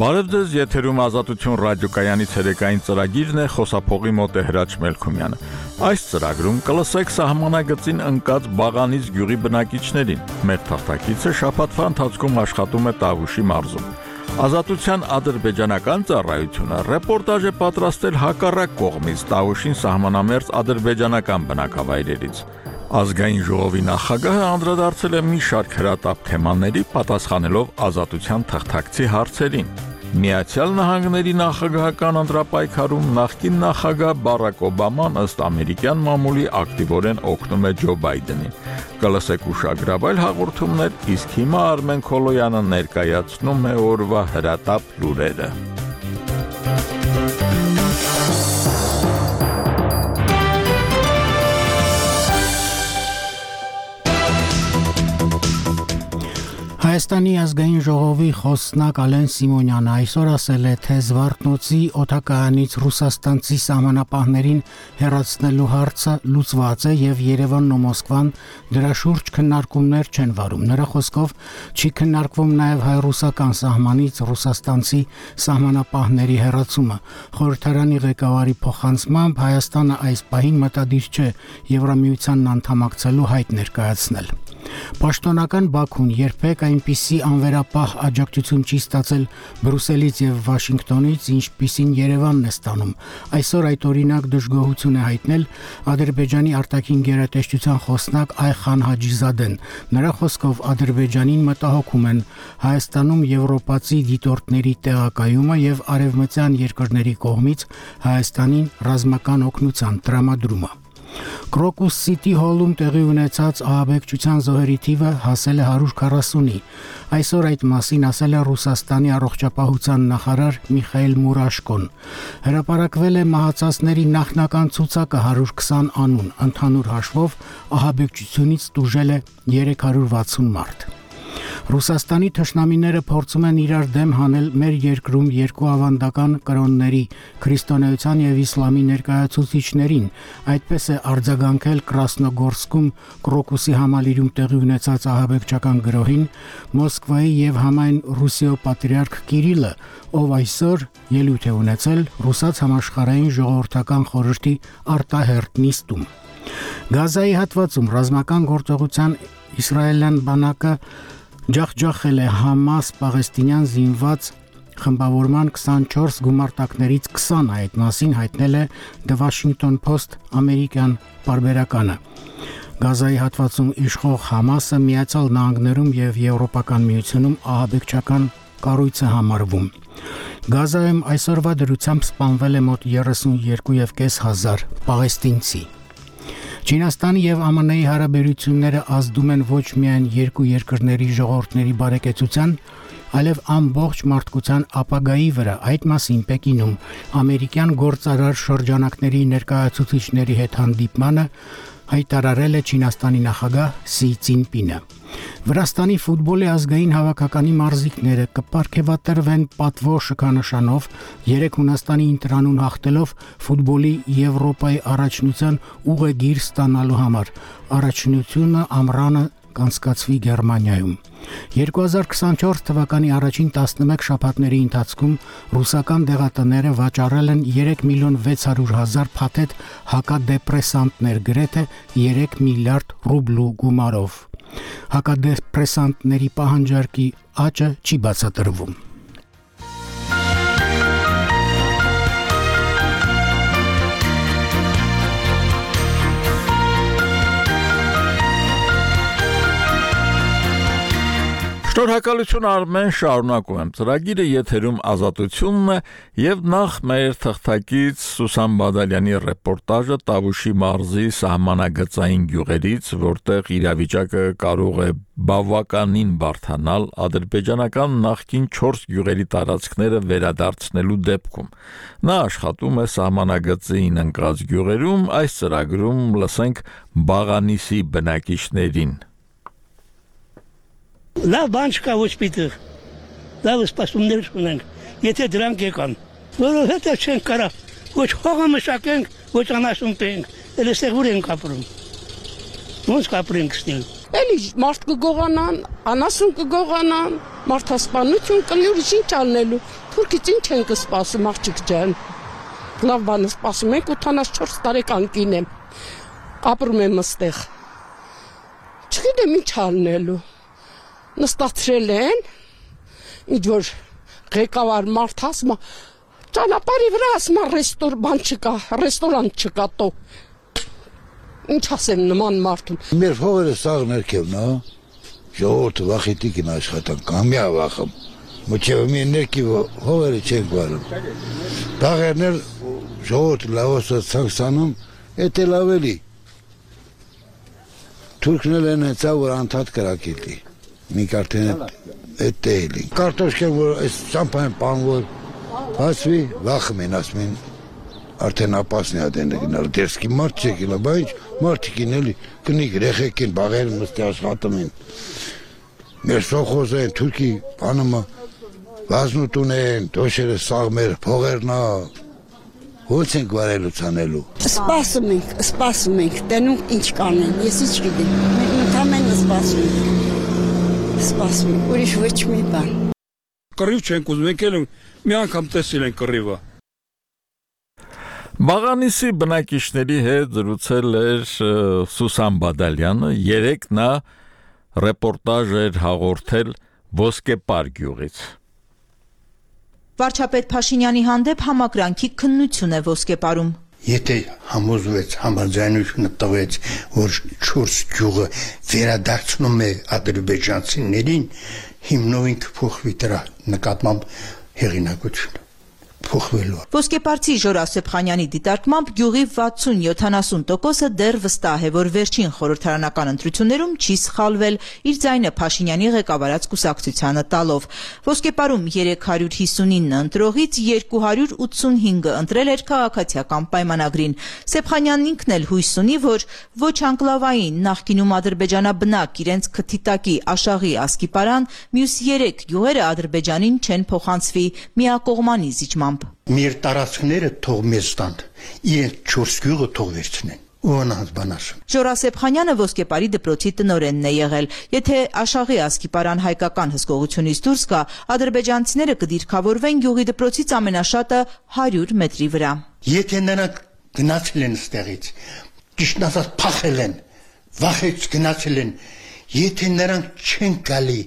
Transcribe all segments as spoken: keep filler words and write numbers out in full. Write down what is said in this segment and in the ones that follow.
Բարև ձեզ, եթերում Ազատություն ռադիոկայանի ցերեկային ծրագիրն է, խոսափողի մոտ է Հրաչ Մելքումյանը։ Այս ծրագրում կլսեք սահմանագծին ընկած Բաղանից գյուղի բնակիչներին։ Մեր թղթակիցը շաբաթվա ընթացքում աշխատում է Տավուշի մարզում։ Ազատության ադրբեջանական ծառայությունը ռեպորտաժ է պատրաստել հակառակ կողմից Տավուշին սահմանամերձ ադրբեջանական բնակավայրերից։ Ազգային ժողովի նախագահը անդրադարձել է մի շարք հրատապ թեմաների, պատասխանելով Ազատության թղթակցի հարցերին։ Միացյալ Նահանգների նախագահական ընտրապայքարում նախկին նախագահ Բարակ Օբաման ըստ ամերիկյան մամուլի ակտիվորեն օգնում է Ջո Բայդենին։ Կլսեք ուշագրավայր հաղորդումներ, իսկ հիմա Արմեն Քոլոյանը ներկայացնում է օրվա հրատապ լուրերը։ Հայաստանի ազգային ժողովի խոսնակ Ալեն Սիմոնյանը այսօր ասել է, թե Զվարթնոցի օդակայանից ռուսաստանցի սահմանապահներին հեռացնելու հարցը լուծված է եւ Երևանն ու Մոսկվան դրա շուրջ քննարկումներ չեն վարում։ Նրա խոսքով չի քննարկվում նաեւ հայ-ռուսական սահմանից ռուսաստանցի սահմանապահների հեռացումը։ Խորհրդարանի ղեկավարի փոխանցմամբ Հայաստանը այս պահին մտադիր չէ Եվրամիությանն անդամակցելու հայտ ներկայացնել։ Պաշտոնական Բաքուն երբեք այնպիսի անվերապահ աջակցություն չի ստացել Բրուսելից եւ Վաշինգտոնից, ինչպիսին Երևանն է ստանում։ Այսօր այդ օրինակ դժգոհություն է հայտնել Ադրբեջանի արտաքին գերատեսչության խոսնակ Այխան Հաջիզադեն։ Նրա խոսքով Ադրբեջանին մտահոգում են Հայաստանում եվրոպացի դիտորդների տեղակայումը եւ արևմտյան երկրների կողմից Հայաստանին ռազմական օգնության տրամադրումը։ Կրոկուս Սիթի հոլում տեղի ունեցած ահաբեկչության զոհերի թիվը հասել է հարյուր քառասունի։ Այսօր այդ մասին ասել է Ռուսաստանի առողջապահության նախարար Միխայել Մուրաշկոն։ Հրապարակվել է մահացածների նախնական ցուցակը հարյուր քսան անուն, ընդհանուր հաշվով ահաբեկչությունից տուժել է երեք հարյուր վաթսուն մարդ։ Ռուսաստանի թշնամիները փորձում են իրար դեմ հանել մեր երկրում երկու ավանդական կրոնների՝ քրիստոնեության եւ իսլամի ներկայացուցիչներին, այդպես է արձագանքել Կրասնոգորսկում Կրոկուսի համալիրում տեղի ունեցած ահաբեկչական գրոհին Մոսկվայի եւ համայն Ռուսիո պատրիարք Կիրիլը, ով այսօր ելույթ է ունեցել Ռուսաց համաշխարհային ժողովրդական խորհրդի արտահերտ նիստում։ Գազայի հատվածում ռազմական գործողության իսրայելյան բանակը ջախջախել է Համաս պաղեստինյան զինված խմբավորման քսանչորս գումարտակներից քսանը, այդ մասին հայտնել է The Washington Post ամերիկյան պարբերականը։ Գազայի հատվածում իշխող Համասը Միացյալ Նահանգներում եւ Եվրոպական միությունում ահաբեկչական կառույց է համարվում։ Գազայում այսօրվա դրությամբ սպանվել է մոտ երեսունյոթ եւ կես հազար պաղեստինցի։ Չինաստանի եւ ԱՄՆ-ի հարաբերությունները ազդում են ոչ միայն երկու երկրների ժողովուրդների բարեկեցության, այլև ամբողջ մարդկության ապագայի վրա։ Այդ մասին Պեկինում ամերիկյան գործարար շրջանակների ներկայացուցիչների հետ հանդիպմանը հայտարարել է Չինաստանի նախագահ Սի Ցինպինը։ Վրաստանի ֆուտբոլի ազգային հավաքականի մարզիկները կպարգևատրվեն պատվո շքանշանով երեք Հունաստանի ինտրանուն հաղթելով ֆուտբոլի Եվրոպայի առաջնության ուղեգիր ստանալու համար։ Առաջնությունը ամռանը կանցկացվի Գերմանիայում։ երկու հազար քսանչորս թվականի առաջին տասնմեկ շաբաթների ընթացքում ռուսական դեղատները վաճառել են երեք միլիոն վեց հարյուր հազար փաթեթ հակադեպրեսանտներ, գրեթե երեք միլիարդ ռուբլու գումարով։ Հակադեպրեսանտների պահանջարկի աճը չի բացատրվում։ Շնորհակալություն Արմեն, շարունակում եմ ծրագիրը, եթերում Ազատությունն է եւ նախ մեր թղթակից Սուսան Բադալյանի ռեպորտաժը Տավուշի մարզի սահմանագծային գյուղերից, որտեղ իրավիճակը կարող է բավականին բարդանալ ադրբեջանական նախկին չորս գյուղերի տարածքները վերադարձնելու դեպքում։ Նա աշխատում է սահմանագծային ընկած գյուղերում, այս ծրագրում լսենք Բաղանիսի բնակիչներին։ Լավ բան չկա ոչ պիտեղ, լավ սպասումներ ունենք, եթե դրանք եկան, որովհետև չենք կարա, ոչ հողը մշակենք, ոչ անասուն պենք, էլ էստեղ ուր ենք ապրում, ոնց կապրենք ստեղ։ էլի մարդ կգողանան, անասուն կգողանան, մարդասպանություն կլի, ուրիշ ինչ անելու, թուրքից ինչ են կսպասում աղջիկ ջան, լավ բան սպասում ենք, ութանասչորս տարեկան կին եմ, ապրում եմ այստեղ, չգիտեմ ինչ անելու, նստացրել են, ինչ որ ղեկավար մարդ ասում, ճանապարհի վրա ասում ռեստոր բան չկա, ռեստորանտ չկա տո, ինչ ասեմ նման մարդուն։ Մեր փողերը սաղ ներքևն է, ժողովուրդը վախիտիկին աշխատան, կամյա վախում, մոչև մի ներքիվ փողերը չենք վարում։ Դաղերներ ժողովուրդը լավոսած ցանցանում, էդ էլ ավելի։ Թուրքներ են հեցա, որ անդադ կրակիլի, մենք արդեն էդ էլի։ Կարտոշկեն, որ այս ճամփան պանվոր, ասվի, վախում են, ասում են, արդեն ապասն է ադեն գնալ, դերսկի մարդ չեք իլա, բա ինչ մարդիկ են էլի, կնիկ ռեխեք են, բաղեր մստի աշխատում են, մեր սոխոզ են, թուրքի բանումը, վազնուտուն են, դոշերը սաղ մեր փողերնա, ոնց ենք վարելու ցանելու։ Սպասում ենք, սպասում ենք, տենում ինչ կանեն, ես ինչ գիտեմ, ընդամենը սպասում ենք, սպասում ենք, ուրիշ ոչ մի բան։ Կռիվ չենք ուզում, եկել մի անգամ տեսել են կռիվը։ Բաղանիսի բնակիչների հետ զրուցել էր Սուսան Բադալյանը, երեկ նա ռեպորտաժ էր հաղորդել Ոսկեպար գյուղից։ Վարչապետ Փաշինյանի հանդեպ համակրանքի քննություն է Ոսկեպարում։ Եթե համոզվեց, համաձայնությունը տվեց, որ չորս գյուղը վերադարձնում է ադրբեջանցիներին, հիմնովին կփոխվի դրա նկատմամբ հեղինակությունը փոխվելու։ Ոսկեպարցի Ժոր Ասեփխանյանի դիտարկմամբ գյուղի վաթսուն-յոթանասուն տոկոսը դեռ վստահ է, որ վերջին խորհրդարանական ընտրություններում չի սխալվել, իր ձայնը Փաշինյանի ղեկավարած կուսակցությանը տալով։ Ոսկեպարում երեք հարյուր հիսունինը ընտրողից երկու հարյուր ութսունհինգը ընտրել էր քաղաքացիական պայմանագրին։ Սեփխանյանն ինքն էլ հույս ունի, որ ոչ անկլավային նախկինում ադրբեջանաբնակ իրենց քթիտակի Աշաղի Ասկիպարան, մյուս երեք գյուղերը Ադրբեջանին չեն փոխանցվի միակողմանի զիջմամբ։ Մեր տարածքները թող մեզ տան, իրենք չորս գյուղը թող վերցնեն։ Ոնց բան ասում։ Ժոր Ասեփխանյանը Ոսկեպարի դպրոցի տնօրենն է եղել։ Եթե Աշաղի Ասկիպարան հայկական հսկողությունից դուրս գա, ադրբեջանցիները կդիրքավորվեն գյուղի դպրոցից ամենաշատը հարյուր մետրի վրա։ Եթե նրանք գնացել են ստեղից, ճիշտ ասած փախել են, վախից գնացել են, եթե նրանք չեն գալի,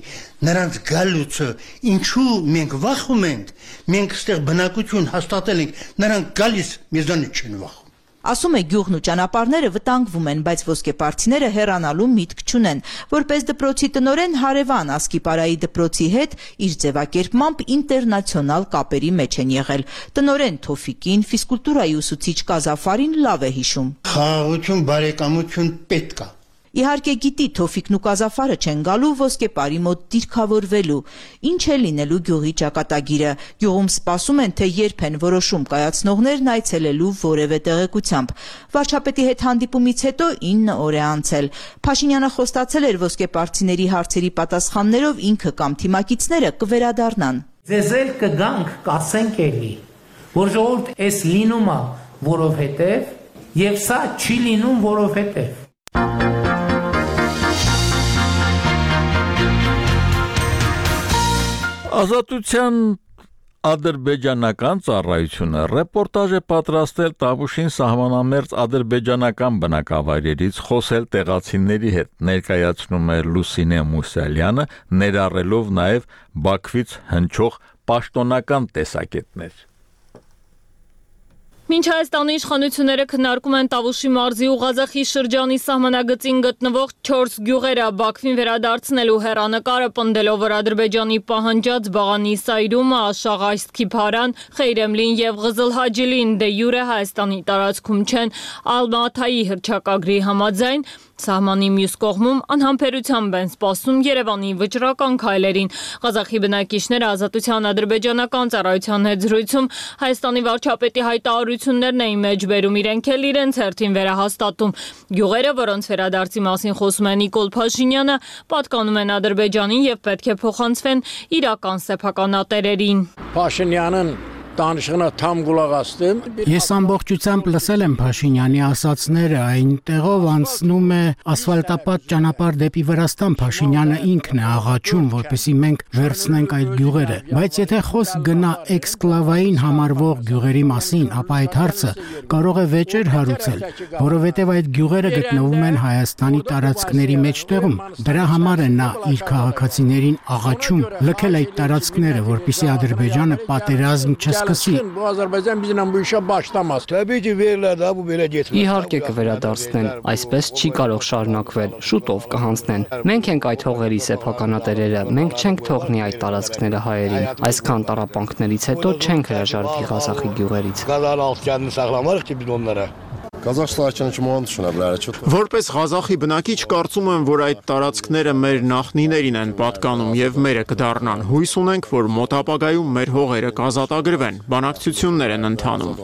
նրանց գալուցը ինչու մենք վախում ենք, մենք ստեղ բնակություն հաստատել ենք, նրանք գալիս մեզանից չեն վախում։ Ասում է գյուղն ու ճանապարհները վտանգվում են, բայց ոսկեպարցիները հեռանալու միտք չունեն։ Որպես դպրոցի տնօրեն հարևան Ասկիպարայի դպրոցի հետ իր ձևակերպմամբ ինտերնացիոնալ կապերի մեջ են եղել։ Տնօրեն Թոֆիկին, ֆիզկուլտուրայի ուսուցիչ Կազաֆարին լավ է հիշում։ Խաղաղություն, բարեկամություն պետք է։ Իհարկե գիտի Թոֆիկն ու Կազաֆարը չեն գալու Ոսկեպարի մոտ դիրքավորվելու։ Ինչ է լինելու գյուղի ճակատագիրը։ Գյուղում սպասում են, թե երբ են որոշում կայացնողներն այցելելու որևէ տեղեկությամբ։ Վարչապետի հետ հանդիպումից հետո ինը օր է անցել։ Փաշինյանը խոստացել էր ոսկեպարցիների հարցերի պատասխաններով ինքը կամ թիմակիցները կվերադառնան։ Ձեզ էլ կգանք, կասենք էլի, որ ժողովուրդ էս լինում է, որովհետև, եւ սա չի լինում, որովհետև։ Ազատության ադրբեջանական ծառայությունը ռեպորտաժ է պատրաստել Տավուշին սահմանամերձ ադրբեջանական բնակավայրերից խոսել տեղացիների հետ, ներկայացնում է Լուսինե Մուսալյանը, ներառելով նաև Բաքվից հնչող պաշտոնական տեսակետներ։ Մինչ Հայաստանի իշխանությունները քննարկում են Տավուշի մարզի ու Ղազախի շրջանի սահմանագծին գտնվող չորս գյուղերը Բաքվին վերադարձնելու հեռանկարը պնդելով, որ Ադրբեջանի պահանջած Բաղանի Սայրումը, Աշաղ Ասկիփարան, Խեյրեմլին եւ Ղզլհաջիլին դե յուրե Հայաստանի տարածքում չեն, Ալմաթայի հռչակագրի համաձայն Սահմանի մյուս կողմում անհամբերությամբ են սպասում Երևանի վճռական քայլերին։ Ղազախի բնակիչները Ազատության ադրբեջանական ծառայության հետ զրույցում Հայաստանի վարչապետի հայտարարություններն էին մեջ բերում, իրենք էլ իրենց հերթին վերահաստատում։ Գյուղերը, որոնց վերադարձի մասին խոսում է Նիկոլ Փաշինյանը, պատկանում են Ադրբեջանին եւ պետք է փոխանցվեն իրական սեփականատերերին։ Փաշինյանն Danışığına tam qulaq asdım. Ես ամբողջությամբ լսել եմ Փաշինյանի ասածները, այնտեղով անցնում է ասֆալտապատ ճանապարհ դեպի Վրաստան, Փաշինյանը ինքն է աղաչում, որպեսզի մենք վերցնենք այդ գյուղերը, բայց եթե խոսք գնա էքսկլավային համարվող գյուղերի մասին, ապա այդ հարցը կարող է վեճեր հարուցել, որովհետև այդ գյուղերը գտնվում են Հայաստանի տարածքների մեջտեղում։ Դրա համար է նա իր քաղաքացիներին աղաչում լքել այդ տարածքները, որպեսզի Ադրբեջանը պատերազմ չսկսի։ Իհարկե կվերադարձնեն, այսպես չի կարող շարունակվել, շուտով կհանձնեն։ Մենք ենք այդ հողերի սեփականատերերը, մենք չենք թողնի այդ տարածքները հայերին։ Այսքան տառապանքներից հետո չենք հրաժարվի Ղազախի գյուղերից։ Որպես Ղազախի բնակիչ կարծում եմ, որ այդ տարածքները մեր նախնիներին են պատկանում եւ մերը կդառնան։ Հույս ունենք, որ մոտ ապագայում մեր հողերը կազատագրվեն, բանակցություններ են ընթանում։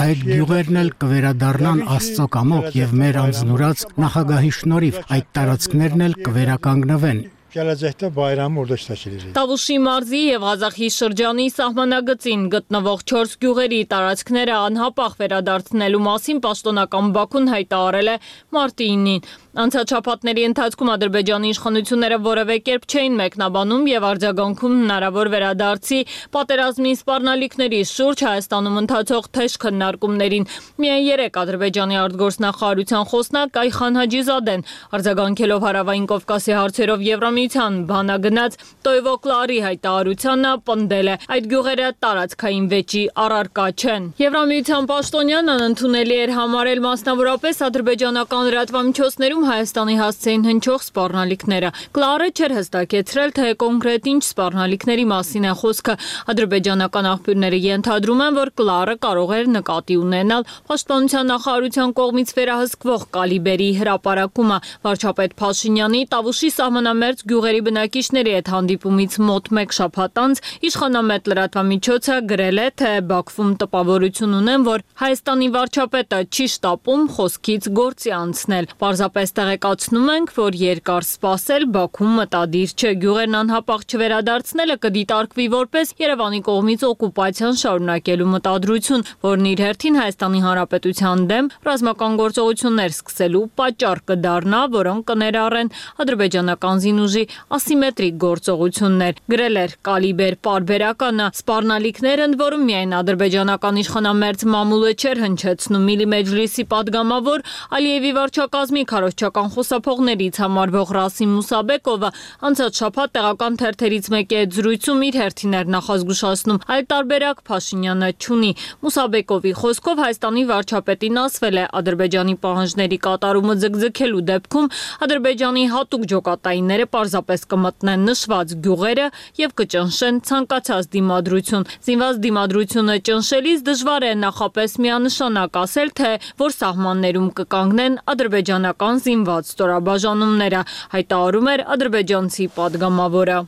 Այդ գյուղերն էլ կվերադառնան Աստծո կամոք եւ մեր անձնուրաց նախագահի շնորհիվ այդ տարածքներն էլ կվերականգնվեն։ Տավուշի մարզի եւ Ղազախի շրջանի սահմանագծին գտնվող չորս գյուղերի տարածքները անհապաղ վերադարձնելու մասին պաշտոնական Բաքուն հայտարարել է մարտի ինին։ Անցած շաբաթների ընթացքում Ադրբեջանի իշխանությունները որևէ կերպ չէին մեկնաբանում եւ արձագանքում հնարավոր վերադարձի պատերազմի սպառնալիքների շուրջ Հայաստանում ընթացող թեժ քննարկումներին։ Միայն երեք Ադրբեջանի արտգործնախարարության խոսնակ Այխան Հաջիզադեն արձագանքելով Հարավային Կովկասի հարցերով Եվրամիության բանագնաց Տոյվոկլարի հայտարարությանը պնդել է այդ գյուղերը տարածքային վեճի առարկա չեն։ Եվրամիության պաշտոնյան անընդունելի էր համարել մասնավորապես ադրբեջանական լրատվամիջոցներում Հայաստանի հասցեին հնչող սպառնալիքները։ Կլարը չէր հստակեցրել, թե կոնկրետ ինչ սպառնալիքների մասին է խոսքը։ Ադրբեջանական աղբյուրները ենթադրում են, որ Կլարը կարող էր նկատի ունենալ պաշտպանության նախարարության կողմից վերահսկվող կալիբերի հրապարակումը։ Վարչապետ Փաշինյանի Տավուշի սահմանամերձ գյուղերի բնակիչների հետ հանդիպումից մոտ մեկ շաբաթ անց իշխանամետ լրատվամիջոցը գրել է, թե Բաքվում տպավորություն ունեն, որ Հայաստանի վարչապետը չի շտապում խոսքից գործի անցնել։ Պարզապես տեղեկացնում ենք, որ երկար սպասել Բաքվում մտադիր չէ, գյուղերն անհապաղ չվերադարձնելը կդիտարկվի որպես Երևանի կողմից օկուպացիան շարունակելու մտադրություն, որն իր հերթին Հայաստանի Հանրապետության դեմ ռազմական գործողություններ սկսելու պատճառ կդառնա, որոնք կներառեն ադրբեջանական զինուժի ասիմետրիկ գործողություններ։ Գրել էր Կալիբեր պարբերականը, սպառնալիքներ ընդ որում միայն ադրբեջանական իշխանամերձ մամուլը չէր հնչեցնում Միլիմեջլիսի падգամավոր Ալիևի վարչակազմի քարոզչական խոսափողներից համարվող Ռասիմ Մուսաբեկովը անցած շաբաթ տեղական թերթերից մեկի հետ զրույցում իր հերթին էր նախազգուշացնում, այլ տարբերակ Փաշինյանը չունի։ Մուսաբեկովի խոսքով Հայաստանի վարչապետին ասվել է Ադրբեջանի պահանջների կատարումը ձգձգելու դեպքում Ադրբեջանի հատուկ ջոկատայինները պարզապես կմտնեն նշված գյուղերը եւ կճնշեն ցանկացած դիմադրություն։ Զինված դիմադրությունը ճնշելիս դժվար է նախապես միանշանակ ասել, թե որ սահմաններում կկանգնեն ադրբեջանական զինված ստորաբաժանումները, հայտարարում էր ադրբեջանցի падգամավորը։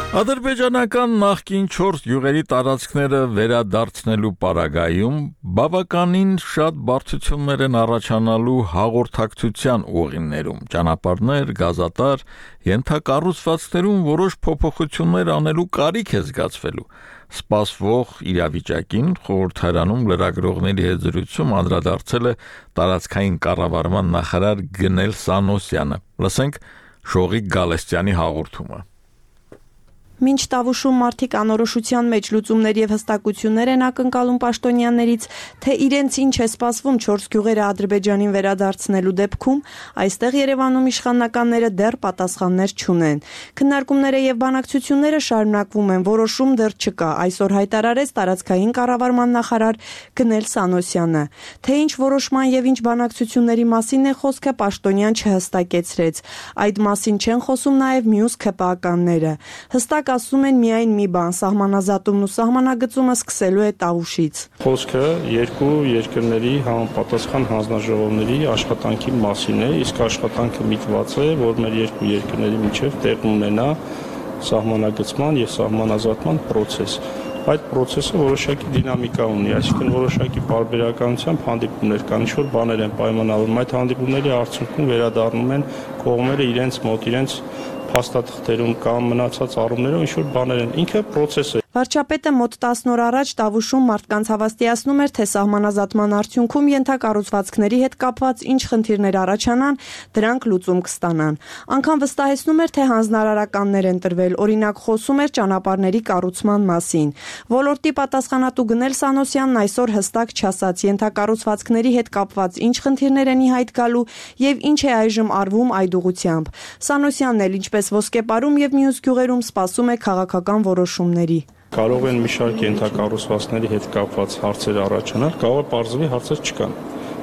Ադրբեջանական նախկին չորս գյուղերի տարածքները վերադարձնելու պարագայում բավականին շատ բարդություններ են առաջանալու հաղորդակցության ուղիներում, ճանապարհներ, գազատար, ենթակառուցվածքներում որոշ փոփոխություններ անելու կարիք է զգացվելու։ Սպասվող իրավիճակին խորհրդարանում լրագրողների հետ զրույցում անդրադարձել է տարածքային կառավարման նախարար Գնել Սանոսյանը։ Լսենք Շողիկ Գալստյանի հաղորդումը։ Մինչ Տավուշում մարդիկ անորոշության մեջ լուծումներ եւ հստակություններ են ակնկալում պաշտոնյաներից, թե իրենց ինչ է սպասվում չորս գյուղերը Ադրբեջանին վերադարձնելու դեպքում, այստեղ Երևանում իշխանականները դեռ պատասխաններ չունեն։ Քննարկումները եւ բանակցությունները շարունակվում են, որոշում դեռ չկա, այսօր հայտարարեց տարածքային կառավարման նախարար Գնել Սանոսյանը։ Թե ինչ որոշման եւ ինչ բանակցությունների մասին է խոսքը, պաշտոնյան չհստակեցրեց։ Այդ մասին չեն խոսում նաեւ մյուս ՔՊԱ-կանները։ Հստակ ասում են միայն մի բան, սահմանազատումն ու սահմանագծումը սկսելու է Տավուշից։ Խոսքը երկու երկրների համապատասխան հանձնաժողովների աշխատանքի մասին է, իսկ աշխատանքը միտված է, որ մեր երկու երկրների միջև տեղ ունենա սահմանագծման եւ սահմանազատման process։ այդ process-ը որոշակի դինամիկա ունի, այսինքն որոշակի բարբերականությամբ հանդիպումներ կան, ինչ-որ բաներ են պայմանավորվում, այդ հանդիպումների արդյունքում վերադառնում են կողմերը իրենց մոտ, իրենց փաստաթղթերում կամ մնացած առումներով ինչ-որ բաներ են, ինքը process է։ Վարչապետը մոտ տասն օր առաջ Տավուշում մարդկանց հավաստիացնում էր, թե սահմանազատման արդյունքում ենթակառուցվածքների հետ կապված ինչ խնդիրներ առաջանան, դրանք լուծում կստանան։ Անգամ վստահեցնում էր, թե հանձնարարականներ են տրվել, օրինակ խոսում էր ճանապարհների կառուցման մասին։ Ոլորտի պատասխանատու Գնել Սանոսյանն այսօր հստակ չասաց ենթակառուցվածքների հետ կապված ինչ խնդիրներ են ի հայտ գալու եւ ինչ է այժմ արվում այդ ուղղությամբ։ Սանոսյանն էլ ինչպես Ոսկեպարում եւ մյուս գյուղերում սպասում է քաղաքական որոշումների։ Կարող են մի շարք ենթակառուցվածքների հետ կապված հարցեր առաջանալ, կարող է պարզվի հարցեր չկան,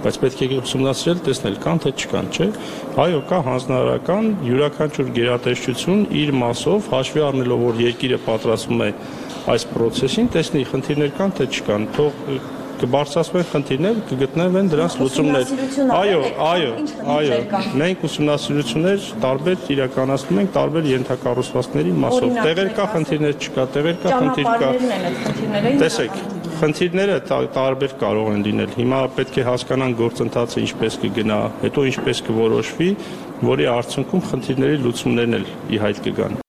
բայց պետք է ուսումնասիրել, տեսնել կան թե չկան, չէ՞։ Այո, կա հանձնարարական յուրաքանչյուր գերատեսչություն իր մասով հաշվի առնելով, որ երկիրը պատրաստվում է այս process-ին, տեսնի խնդիրներ կան թե չկան, թող կբարձրացվեն խնդիրներ, կգտնվեն դրանց լուծումներ։ Այո, այո, այո, մենք ուսումնասիրություններ տարբեր իրականացնում ենք տարբեր ենթակառուցվածքների մասով։ Տեղեր կա, խնդիրներ չկա, տեղեր կա, խնդիր կա։ Տեսեք, խնդիրները տարբեր կարող են լինել։ Հիմա պետք է հասկանան գործընթացը ինչպես կգնա, հետո ինչպես կորոշվի, որի արդյունքում խնդիրների լուծումներն էլ ի հայտ կգան։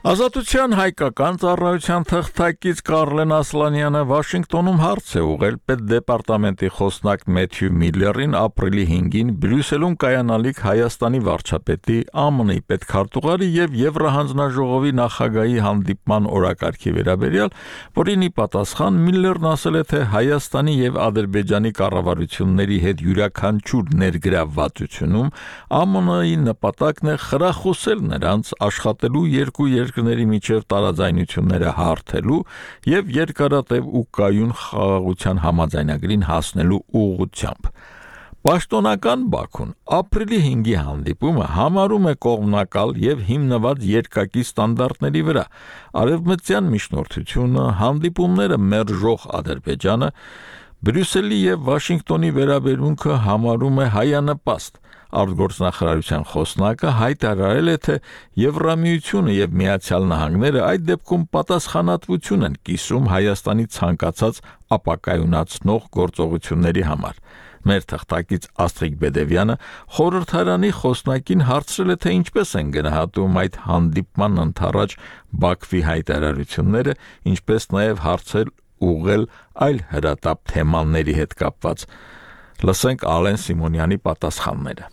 Ազատության հայկական ծառայության թղթակից Կարլեն Ասլանյանը Վաշինգտոնում հարց է ուղղել պետդեպարտամենտի խոսնակ Մեթյու Միլլերին ապրիլի հինգին Բրյուսելում կայանալիք Հայաստանի վարչապետի, ԱՄՆ-ի պետքարտուղարի եւ Եվրահանձնաժողովի նախագահի հանդիպման օրակարգի վերաբերյալ, որին ի պատասխան Միլլերն ասել է, թե Հայաստանի եւ Ադրբեջանի կառավարությունների հետ յուրաքանչյուր ներգրավվածությունում ԱՄՆ-ի նպատակն է խրախուսել նրանց աշխատելու երկու երկրների միջև տարաձայնությունները հարթելու եւ երկարատև ու կայուն խաղաղության համաձայնագրին հասնելու ուղղությամբ։ Պաշտոնական Բաքուն ապրիլի հինգի հանդիպումը համարում է կողմնակալ եւ հիմնված երկակի ստանդարտների վրա։ Արևմտյան միջնորդությունը, հանդիպումները մերժող Ադրբեջանը, Բրյուսելի եւ Վաշինգտոնի վերաբերմունքը համարում է հայանպաստ։ Արտգործնախարարության խոսնակը հայտարարել է, թե Եվրամիությունը եւ Միացյալ Նահանգները այդ դեպքում պատասխանատվություն են կիսում Հայաստանի ցանկացած ապակայունացնող գործողությունների համար։ Մեր թղթակից Աստրիկ Բեդևյանը խորհրդարանի խոսնակին հարցրել է, թե ինչպես են գնահատում այդ հանդիպման ընթառաջ Բաքվի հայտարարությունները, ինչպես նաեւ հարցել ուղղել այլ հրատապ թեմաների հետ կապված։ Լսենք Ալեն Սիմոնյանի պատասխանները։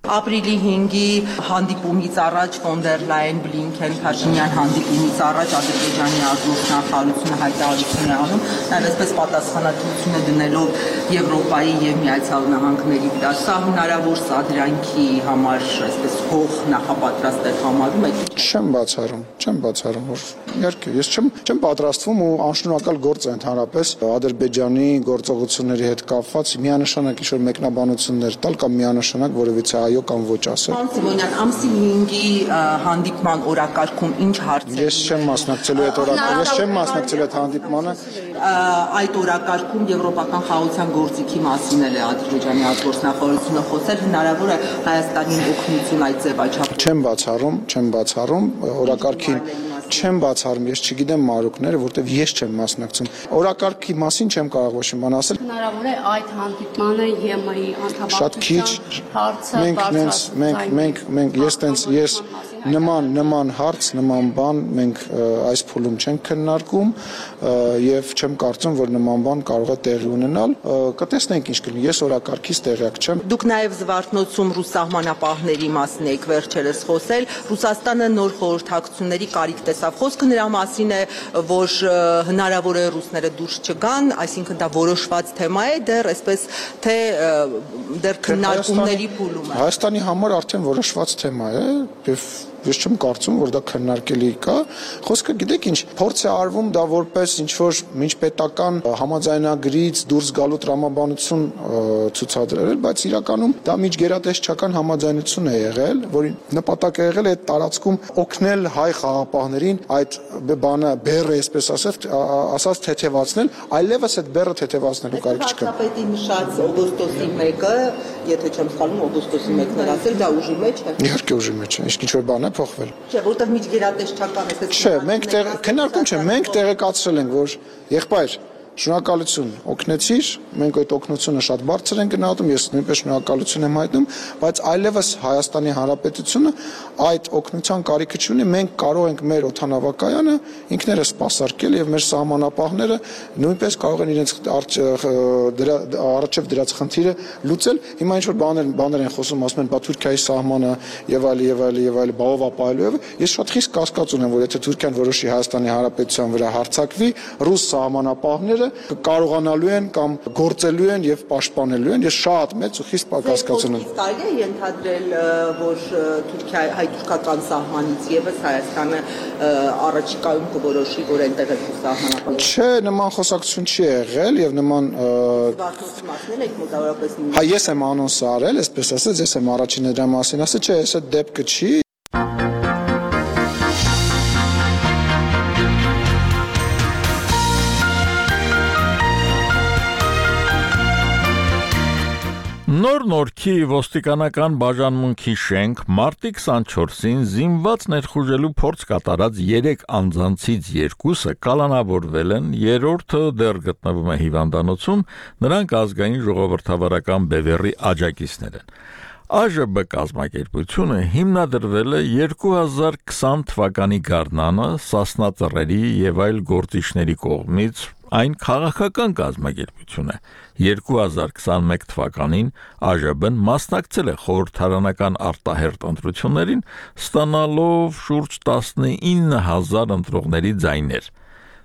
Ապրիլի հինգի հանդիպումից առաջ ֆոն դեր Լայն Բլինքեն Փաշինյան հանդիպումից առաջ Ադրբեջանի արտգործնախարարությունը հայտարարություն է անում, նաև այսպես պատասխանատվությունը դնելով Եվրոպայի եւ Միացյալ Նահանգների վրա։ Սա հնարավոր սադրանքի համար այսպես հող նախապատրաստ է համարում եք։ Չեմ բացառում, չեմ բացառում, որ իհարկե ես չեմ չեմ պատրաստվում ու անշնորհակալ գործ է ընդհանրապես Ադրբեջանի գործողությունների հետ կապված միանշանակ ինչ-որ մեկնաբանություններ տալ կամ միանշանակ որևիցե այո կամ ոչ ասել։ Պարոն Սիմոնյան, ամսի հինգի հանդիպման օրակարգում ինչ հարցեր։ Ես չեմ մասնակցելու այդ օրակարգ, ես չեմ մասնակցելու այդ հանդիպմանը։ Այդ օրակարգում եվրոպական խաղաղության գործիքի մասին էլ է Ադրբեջանի արտգործնախարարությունը խոսել, հնարավոր է Հայաստանին օգնություն այդ ձևաչափ։ Չեմ բացառում, չեմ բացառում օրակարգին չեմ բացառում, ես չգիտեմ մարուկները, որտեվ ես չեմ մասնակցում։ Օրակարգի մասին չեմ կարող ոչ մի բան ասել։ Հնարավոր է այդ հանդիպմանը ԵՄ-ի անդամակցության հարցը մենք մենք մենք մենք ես տենց ես նման նման հարց, նման բան մենք այս փուլում չենք քննարկում եւ չեմ կարծում, որ նման բան կարող է տեղի ունենալ։ Կտեսնենք ինչ կլինի։ Ես օրակարգից տեղյակ չեմ։ Դուք նաեւ Զվարթնոցում ռուս սահմանապահների մասին եք վերջերս խոսել։ Ռուսաստանը նոր խորհրդակցությունների կարիք տեսավ։ Խոսքը նրա մասին է, որ հնարավոր է ռուսները դուրս չգան, այսինքն դա որոշված թեմա է, դեռ այսպես թե դեռ քննարկումների փուլում է։ Հայաստանի համար արդեն որոշված թեմա է եւ ես չեմ կարծում, որ դա քննարկելի կա։ Խոսքը գիտեք ինչ, փորձ է արվում դա որպես ինչ որ միջպետական համաձայնագրից դուրս գալու տրամաբանություն ցուցադրել, բայց իրականում դա միջգերատեսչական համաձայնություն է եղել, որի նպատակը եղել է այդ տարածքում օգնել հայ խաղաղապահներին այդ բանը բեռը, այսպես ասած, ասած թեթևացնել, այլևս այդ բեռը թեթևացնելու կարիք չկա։ Վարչապետի նշած օգոստոսի մեկը եթե չեմ սխալվում, օգոստոսի մեկն էր ասել, դա ուժի մեջ է։ Իհարկե ուժի մեջ է, իսկ ինչ որ բան է փոխվել։ Չէ, որտեղ միջգերատեսչական է։ Չէ, մենք քննարկում չէ, մենք տեղեկացրել ենք, որ եղբայր շնորհակալություն օգնեցիր, մենք այդ օգնությունը շատ բարձր ենք գնահատում, ես նույնպես շնորհակալություն եմ հայտնում, բայց այլևս Հայաստանի Հանրապետությունը այդ օգնության կարիքը չունի, մենք կարող ենք մեր օդանավակայանը ինքներս սպասարկել եւ մեր սահմանապահները նույնպես կարող են իրենց առաջև դրած խնդիրը լուծել։ Հիմա ինչ որ բաներ բաներ են խոսում, ասում են, բա Թուրքիայի սահմանը եւ այլ եւ այլ եւ այլ բաղով ապահովելու, ես շատ խիստ կասկած ունեմ, որ եթե Թուրքիան որոշի Հայաստանի Հանրապետության վրա հարձակվի, ռուս սահմանապահները կարողանալու են կամ գործելու են եւ պաշտպանելու են, ես շատ մեծ ու խիստ կասկած ունեմ։ Կարելի է ենթադրել, որ Թուրքիա հայ-թուրքական սահմանից եւս Հայաստանը առաջիկայում կորոշի, որ այնտեղ է սահմանապահ։ Չէ, նման խոսակցություն չի եղել եւ նման Վարդացումացնել եք մոտավորապես։ Հա, ես եմ անոնսը արել, այսպես ասած, ես եմ առաջինը դրա մասին ասել, չէ, այս դեպքը չի։ Նոր Նորքի ոստիկանական բաժանմունքի շենք մարտի քսանչորսին զինված ներխուժելու փորձ կատարած երեք անձանցից երկուսը կալանավորվել են, երրորդը դեռ գտնվում է հիվանդանոցում, նրանք ազգային ժողովրդավարական բևեռի աջակիցներ են։ Ա Ժ B կազմակերպությունը հիմնադրվել է երկու հազար քսան թվականի գարնանը Սասնա ծռերի եւ այլ գործիչների կողմից, այն քաղաքական կազմակերպություն է։ երկու հազար քսանմեկ թվականին Ա Ժ B-ն մասնակցել է խորհրդարանական արտահերթ ընտրություններին, ստանալով շուրջ տասնինը հազար ընտրողների ձայներ։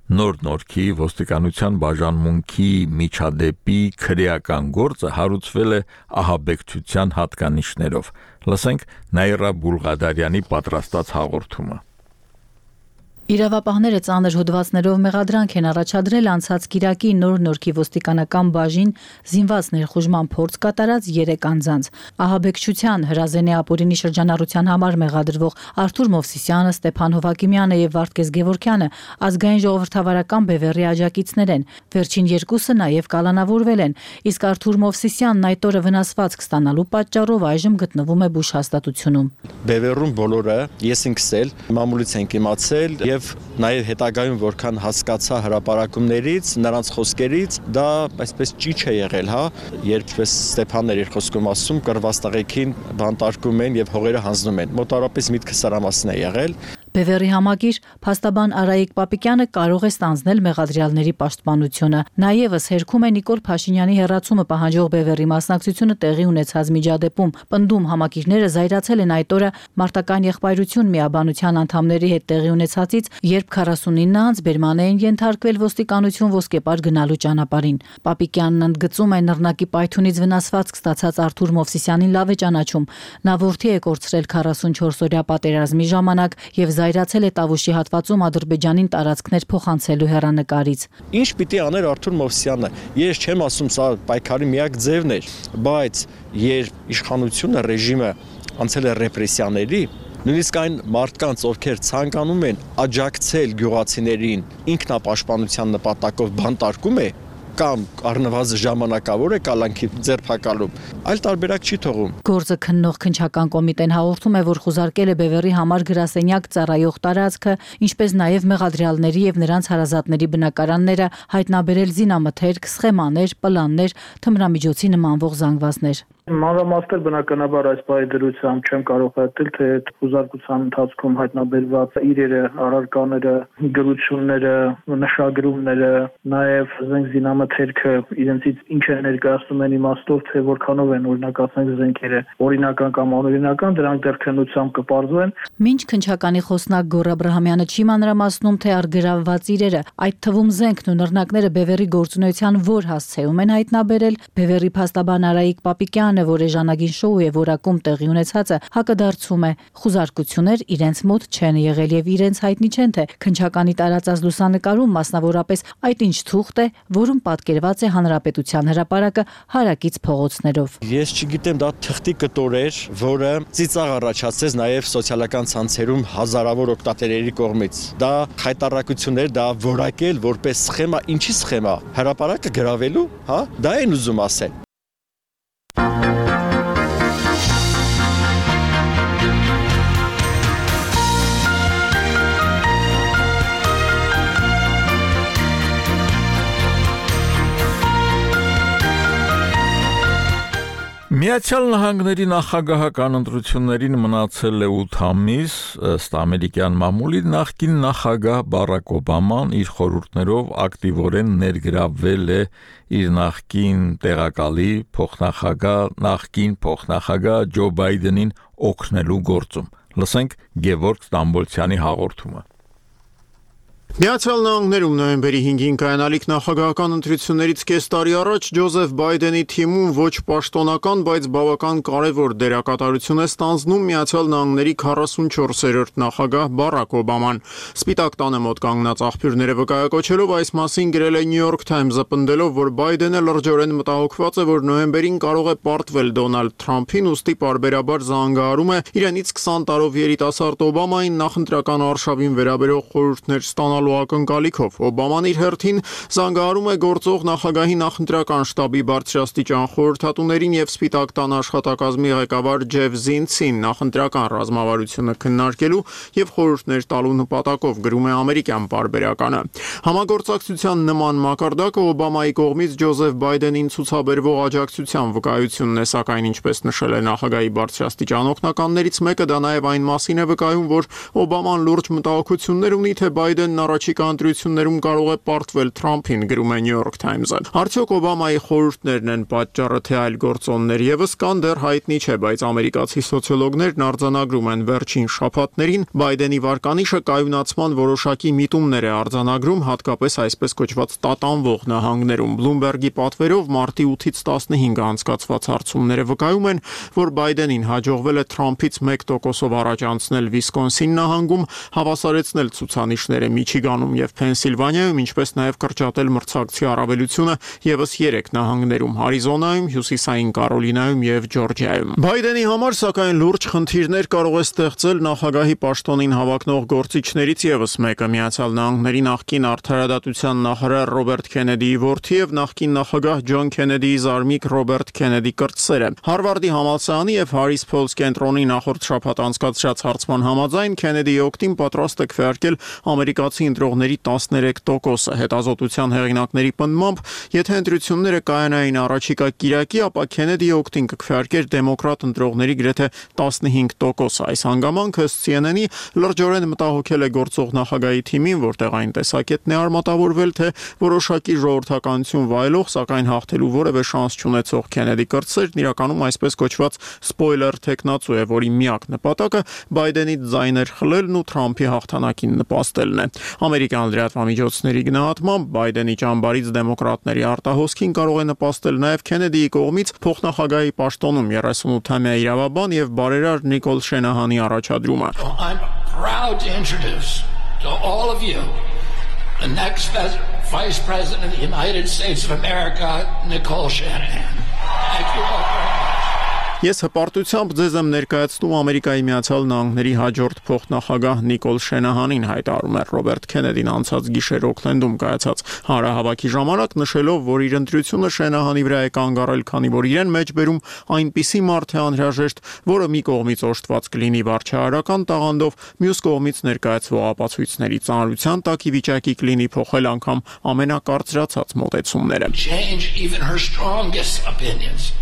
Նոր Նորքի ոստիկանության բաժանմունքի միջադեպի քրեական գործը հարուցվել է ահաբեկչության հատկանիշներով։ Լսենք Նաիրա Բուլղադարյանի պատրաստած հաղորդումը։ Իրավապահները ծանր հոդվածներով մեղադրանք են առաջադրել անցած կիրակի Նոր Նորքի ոստիկանական բաժին զինված ներխուժման փորձ կատարած երեք անձանց։ Ահաբեկչության, հրազենի ապօրինի շրջանառության համար մեղադրվող Արթուր Մովսիսյանը, Ստեփան Հովակիմյանը եւ Վարդգես Գևորգյանը ազգային ժողովրդավարական բևեռի աջակիցներ են։ Վերջին երկուսը նաեւ կալանավորվել են, իսկ Արթուր Մովսիսյանն այդ օրը վնասվածք ստանալու պատճառով այժմ գտնվում է բուժ հաստատությունում։ Բևեռում բոլորը ես ինքս էլ մամուլից ենք իմացել եւ նաեւ հետագայում որքան հասկացա հրապարակումներից, նրանց խոսքերից, դա այսպես ճիչ է եղել, հա, երբ Ստեփանն էր իր խոսքում ասում, կռված տղեկին բանտարկում են եւ հողերը հանձնում են։ Մոտավորապես միտքը սրա մասին է եղել։ Բևեռի համակիր փաստաբան Արայիկ Պապիկյանը կարող է ստանձնել մեղադրյալների պաշտպանությունը։ Նաևս հերքում է Նիկոլ Փաշինյանի հեռացումը պահանջող Բևեռի մասնակցությունը տեղի ունեցած միջադեպում։ Պնդում համակիրները զայրացել են այդ օրը մարտական եղբայրություն միաբանության անդամների հետ տեղի ունեցածից, երբ քառասունինը անց բերման էին ենթարկվել ոստիկանություն ոսկեպար գնալու ճանապարհին։ Պապիկյանն ընդգծում է նռնակի պայթունից վնասվածք ստացած Արթուր Մովսիսյանին լավ է ճանաչում։ Նա որդի է կորցրել քառասունչորս օրյա պատերազմի ժամանակ եւ զայրացել է Տավուշի հատվածում Ադրբեջանին տարածքներ փոխանցելու հեռանկարից։ Ինչ պիտի աներ Արթուր Մովսյանը։ Ես չեմ ասում սա պայքարի միակ ձևն էր, բայց երբ իշխանությունը, ռեժիմը անցել է ռեպրեսիաների, նույնիսկ այն մարդկանց, ովքեր ցանկանում են աջակցել գյուղացիներին ինքնապաշտպանության նպատակով բանտարկում է, կամ առնվազն ժամանակավոր է կալանքի ձերբակալում, այլ տարբերակ չի թողում։ Գործը քննող քննչական կոմիտեն հաղորդում է, որ խուզարկել է Բևեռի համար գրասենյակ ծառայող տարածքը, ինչպես նաև մեղադրյալների եւ նրանց հարազատների բնակարանները, հայտնաբերել զինամթերք, սխեմաներ, պլաններ, թմրամիջոցի նմանվող զանգվածներ։ Մանրամասներ բնականաբար այս բայ դրությամբ չեմ կարող հայտնել, թե խուզարկության ընթացքում հայտնաբերված իրերը, առարկաները, գրությունները, նշագրումները, նաև զենք զինամթերքը իրենցից ինչ է ներկայացնում են իմաստով, թե որքանով են օրինակ ասենք զենքերը օրինական կամ անօրինական, դրանք դեռ քննությամբ կպարզվեն։ Մինչ քննչականի խոսնակ Գոռ Աբրահամյանը չի մանրամասնում, թե առգրավված իրերը, այդ թվում զենքն ու նռնակները Բևեռի գործունեության որ հասցեում են հայտնաբերել, Բևեռի փաստաբան Արայիկ Պապիկյան որ էժանագին շոու է որակում տեղի ունեցածը հակադարձում է խուզարկություններ իրենց մոտ չեն եղել եւ իրենց հայտնի չեն թե քնչականի տարածած լուսանկարում մասնավորապես այդ ինչ թուղթ է, որում պատկերված է հանրապետության հրապարակը հարակից փողոցներով։ Ես չգիտեմ, դա թղթի կտոր էր, որը ծիծաղ առաջացրեց նաեւ սոցիալական ցանցերում հազարավոր օգտատերերի կողմից։ Դա խայտարակություն էր, դա որակել որպես սխեմա, ինչի սխեմա, հրապարակը գրավելու, հա, դա են ուզում ասել։ Միացյալ Նահանգների նախագահական ընտրություններին մնացել է ութ ամիս, ըստ ամերիկյան մամուլի նախկին նախագահ Բարակ Օբաման իր խորհուրդներով ակտիվորեն ներգրավվել է իր նախկին տեղակալի փոխնախագահ նախկին փոխնախագահ Ջո Բայդենին օգնելու գործում։ Լսենք Գևորգ Ստամբոլցյանի հաղորդումը։ Միացյալ Նահանգներում նոյեմբերի հինգին կայանալիք նախագահական ընտրություններից կես տարի առաջ Ջոզեֆ Բայդենի թիմում ոչ պաշտոնական, բայց բավական կարևոր դերակատարություն է ստանձնում Միացյալ Նահանգների քառասունչորսերորդ նախագահ Բարակ Օբաման։ Սպիտակ տանը մոտ կանգնած աղբյուրները վկայակոչելով այս մասին գրել է New York Times-ը, պնդելով, որ Բայդենը լրջորեն մտահոգված է, որ նոյեմբերին կարող է պարտվել Դոնալդ Թրամփին, ուստի պարբերաբար զանգահարում է իրենից քսան տարով երիտասարդ Օբամային նախընտրական արշավին վերաբերող խորհուրդներ ստանալու ակնկալիքով։ Օբաման իր հերթին զանգահարում է գործող նախագահի նախընտրական շտաբի բարձրաստիճան խորհրդատուներին եւ Սպիտակ տան աշխատակազմի ղեկավար Ջեֆ Զինցին նախընտրական ռազմավարությունը քննարկելու եւ խորհուրդներ տալու նպատակով, գրում է ամերիկյան պարբերականը։ Համագործակցության նման մակարդակը Օբամայի կողմից Ջոզեֆ Բայդենին ցուցաբերվող աջակցության վկայությունն է, սակայն ինչպես նշել է նախագահի բարձրաստիճան օգնականներից մեկը, դա նաեւ այն մասին է վկայում, որ Օբաման լուրջ մտահոգություններ ունի, թե Բայդենն առաջիկա ընտրություններում կարող է պարտվել Թրամփին, գրում է New York Times-ը։ Արդյոք Օբամայի խորհուրդներն են պատճառը, թե այլ գործոններ եւս կան, դեռ հայտնի չէ, բայց ամերիկացի սոցիոլոգներն արձանագրում են վերջին շաբաթներին Բայդենի վարկանիշը կայունացման որոշակի միտումներ է արձանագրում, հատկապես այսպես կոչված տատանվող նահանգներում։ Bloomberg-ի պատվերով մարտի ութից տասնհինգը անցկացված հարցումները վկայում են, որ Բայդենին հաջողվել է Թրամփից մեկ տոկոսով առաջ անցնել Վիսկոնսին նահանգում, հավասարեցնել ցուցանիշները Միչիգանում եւ Փենսիլվանիայում, ինչպես նաեւ կրճատել մրցակցի առավելությունը եւս երեք նահանգներում՝ Արիզոնայում, Հյուսիսային Կարոլինայում եւ Ջորջիայում։ Բայդենի համար, սակայն, լուրջ խնդիրներ կարող է ստեղծել նախագահի պաշտոնին հավակնող գործիչներից եւս մեկը՝ Միացյալ Նահանգների նախկին արդարադատության նախարար Ռոբերտ Քենեդիի որդի եւ նախկին նախագահ Ջոն Քենեդիի զարմիկ Ռոբերտ Քենեդի կրտսերը։ Հարվարդի համալսարանի եւ Հարիս Փոլս կենտրոնի նախորդ շաբաթ անցկացրած հարցման համաձայն Քենեդիի օգտին պատրաստ է քվեարկել ամերիկացի ընտրողների տասներեք տոկոսը։ Հետազոտության հեղինակների պնդմամբ, եթե ընտրությունները կայանային առաջիկա կիրակի, ապա Քենեդիի օգտին կքվեարկեր դեմոկրատ ընտրողների գրեթե տասնհինգ տոկոսը։ Այս հանգամանքը C N N-ի լրջորեն մտահոգել է գործող նախագահի թիմին, որտեղ այն տեսակետն է արմատավորվել, թե որոշակի ժողովրդականություն վայելող, սակայն հաղթելու որևէ շանս չունեցող Քենեդի կրտսերն իրականում այսպես կոչված սպոյլեր տեխնացու է, որի միակ նպատակը Բայդենից ձայներ խլելն ու Թրամփի հաղթանակին նպաստելն է։ Ամերիկյան լրատվամիջոցների գնահատմամբ Բայդենի ճամբարից դեմոկրատների արտահոսքին կարող է նպաստել նաև Քենեդիի կողմից փոխնախագահի պաշտոնում երեսունութամյա իրավաբան եւ բարերար Նիկոլ Շենահանի առաջադրումը։ I'm proud to introduce to all of you the next Vice President of the United States of America, Nicole Shanahan. Thank you all very much. Ես հպարտությամբ ձեզ եմ ներկայացնում Ամերիկայի Միացյալ Նահանգների հաջորդ փոխնախագահ Նիկոլ Շենահանին, հայտարարում է Ռոբերտ Քենեդին անցած գիշեր Օքլենդում կայացած հանրահավաքի ժամանակ, նշելով, որ իր ընտրությունը Շենահանի վրա է կանգ առել, քանի որ իրեն մեջ բերում այնպիսի մարդ է անհրաժեշտ, որը մի կողմից օժտված կլինի վարչահարական տաղանդով, մյուս կողմից ներկայացվող ապացույցների ծանրության տակ ի վիճակի կլինի փոխել անգամ ամենակարծրացած մոտեցումները։ Change even her strongest opinions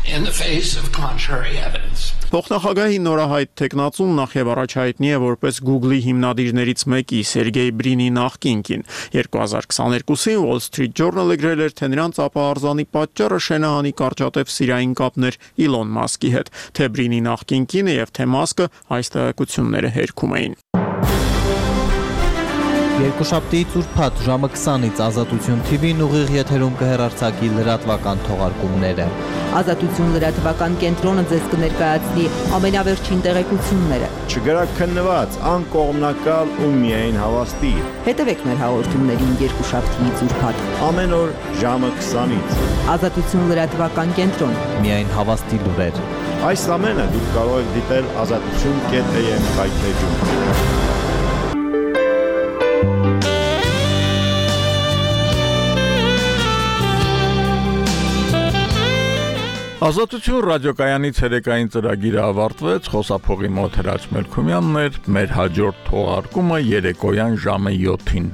in the face of contrary evidence. Փոխնախագահի նորահայտ տեխնացուն նախ եւ առաջ հայտնի է որպես Google-ի հիմնադիրներից մեկի Սերգեյ Բրինի նախկինքին։ երկու հազար քսաներկուսին Wall Street Journal-ը գրել էր, թե նրանց ապահարզանի պատճառը Շենահանի կարճատև սիրային կապներ Իլոն Մասկի հետ, թե Բրինի նախկինքինը եւ թե Մասկը այս տեղեկությունները հերքում էին։ Երկուշաբթի ծուրփաթ ժամը քսանից Ազատություն T V-ն ուղիղ եթերում կհեռարձակի լրատվական թողարկումները։ Ազատություն լրատվական կենտրոնը ձեզ կներկայացնի ամենավերջին տեղեկությունները։ Չգրաքննված, անկողմնակալ ու միայն հավաստի։ Հետևեք մեր հաղորդումներին երկուշաբթի ծուրփաթ ամեն օր ժամը քսանից։ Ազատություն լրատվական կենտրոն։ Միայն հավաստի լուրեր։ Այս ամենը դուք կարող եք դիտել ազատություն կետ A M կայքեջում։ Ազատություն ռադիոկայանի ցերեկային ծրագիրը ավարտվեց, խոսափողի մոտ Հրաչ Մելքումյանն էր, մեր հաջորդ թողարկումը երեկոյան ժամը յոթին։